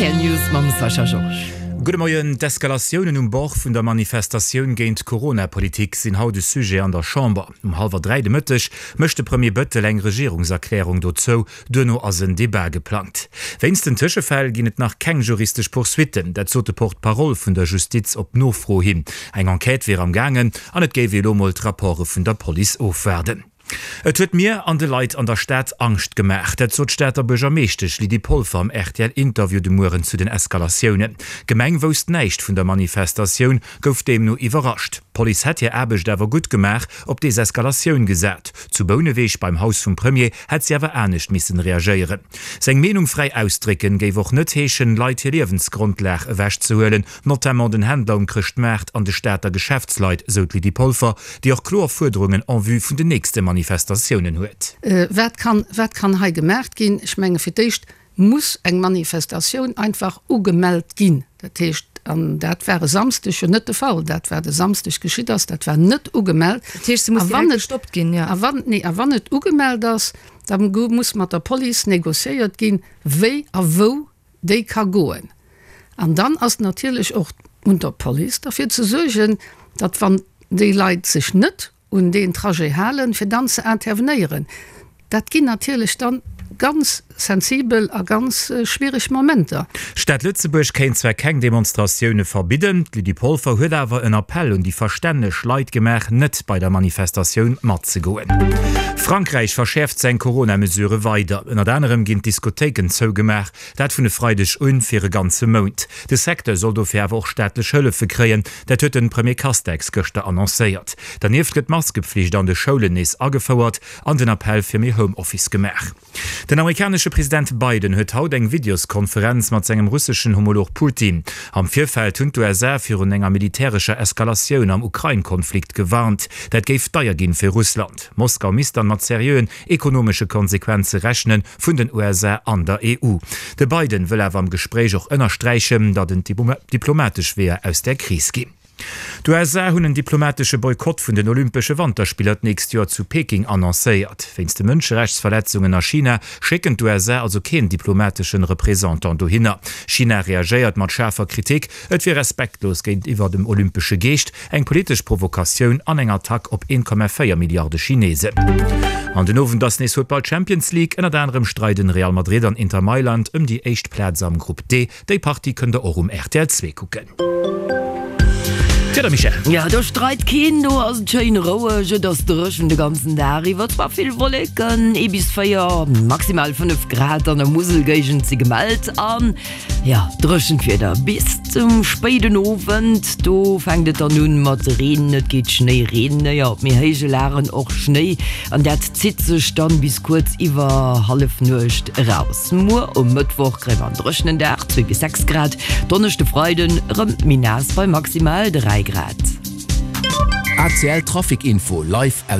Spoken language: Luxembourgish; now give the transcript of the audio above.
Rtl News mam Sascha Georges. Gudde Moien. D'Eskalatiounen um Bord vun der Manifestatioun géint d'Corona-Politik sinn haut e Sujet an der Chamber. Um hallwer 3 de Mëtteg mécht de Premier Bëttel eng Regierungserklärung dozou. Duerno ass en Debat geplangt. Wéinst den Tëschefäll ginn et nach keng juristesch Poursuitten. Dat sot de Porte-parole vun der Justiz op Nofro hin. Eng Enquête wier am gaangen an et géif ee lo mol d'Rapporte vun der Police ofwaarden. Et huet mir an de Leit an der Stad Angscht gemaach. Dat sot d'Stater Buergermeeschtesch Lydie Polfer am RTL-Interview de Mueren zu den Eskalatiounen. D'Gemeng wousst näischt vun der Manifestatioun, gouf deemno iwwerrascht. D'Police hätt hir Aarbecht awer gutt gemaach, op Deseskalatioun gesat. Zu Bouneweg beim Haus vum Premier hätt si awer anescht missen reagéieren. Seng Meenung fräi ausdrécken géif och net heeschen, Leit hir Liewensgrondlag ewechzehuelen, notamment den Händler um Chrëschtmaart an de Stater Geschäftsleit, sou d'Lydie Polfer, déi och kloer Fuerderungen en vue vun den nächste Manifestatiounen huet. Wat kann, wat kann hei gemaacht ginn? Ech menge fir d'éischt muss eng Manifestatioun einfach ugemellt ginn. Dat heescht, an dat war e Samsdeg jo net de Fall, dat wat e Samsdeg geschitt ass, dat war net ugemellt. Dat heescht, se muss direkt gestoppt ginn, jo. A wann, nee, a wann et ugemellt ass, da muss mat der Police négociéiert ginn, wéi a wou déi ka goen. An dann ass natierlech och un der Police derfir ze suergen, datt wann déi Leit sech net un deen Trajet halen, fir dann ze intervenéieren. Dat ginn natierlech dann ganz sensibel a ganz schwiereg Momenter. D'Stad Lëtzebuerg kéint zwar keng Demonstratioune verbidden, d'Lydie Polfer huet awer en Appell un déi verstänneg Leit gemaach, net bei der Manifestatioun matzegoen. Frankräich verschäerft seng Corona-Mesurë weider. Ënnert anerem ginn d'Diskothéiken zougemaach, dat vun e Freideg un fir e ganze Mount. De Secteur soll dofir awer och staatlech Hëllefe kréien, dat huet de Premier Castex gëschter annoncéiert. Dernieft gëtt d'Maskepflicht an de Schoulen nees agefouert an den Appell fir méi Homeoffice gemaach. Den amerikanesche President Biden huet haut eng Videoskonferenz mat sengem russeschen Homolog Putin. Am Virfeld hunn d'USA virun enger militärescher Eskalatioun am Ukrain-Konflikt gewarnt. Dat géif deier ginn fir Russland. Moskau misst dann mat seriöen ekonomesche Konsequenze rechnen vun den USA an der EU. De Biden wëll awer am Gespréich och ënnersträichen, datt et diplomatesch Weeër aus där Kris ginn. D'USA hunn en diplomatesche Boykott vun den Olympesche Wanterspiller d'nächst Joer zu Peking annoncéiert. Wéinst de Mënscherechtsverletzungen a China schécken d'USA also keen diplomateschen Représentant dohinner. China reagéiert mat schaarfer Kritik, et wier respektlos géintiwwer dem olympesche Geescht, eng politesch Provokatioun an eng Attack op 1,4 Milliarde Chinesen. An den Owend ass nees Futtball Champions League. Ënnert anerem streiden Real Madrid an Inter Mailand ëm déi éischt Plaz am Grupp D. Déi Partie kënnt der och um rtl 2 kucken. D'Wieder, Michèle? Jo, do streit keen, do ass et schéin roueg, et ass dréchen de ganzen Dag iwwer, zwar vill Wolleken, ee bis 4, maximal 5 Grad an der Muselgéigend si gemellt an jo, dréchent Wieder bis zum spéiden Owend. Do fänkt et dann un mat Reen, et geet Schnéi, Reen, jo, op méi héije Lagen och Schnéi an dat zitt sech dann bis kuerz iwwer Hallefnuecht eraus. Muer um Mëttwoch kréie mer en dréchenen Dag, 2 bis 6 Grad, Donneschde, Freiden erëm méi naass bei maximal 3 Grad. ACL Trafic Info live aus.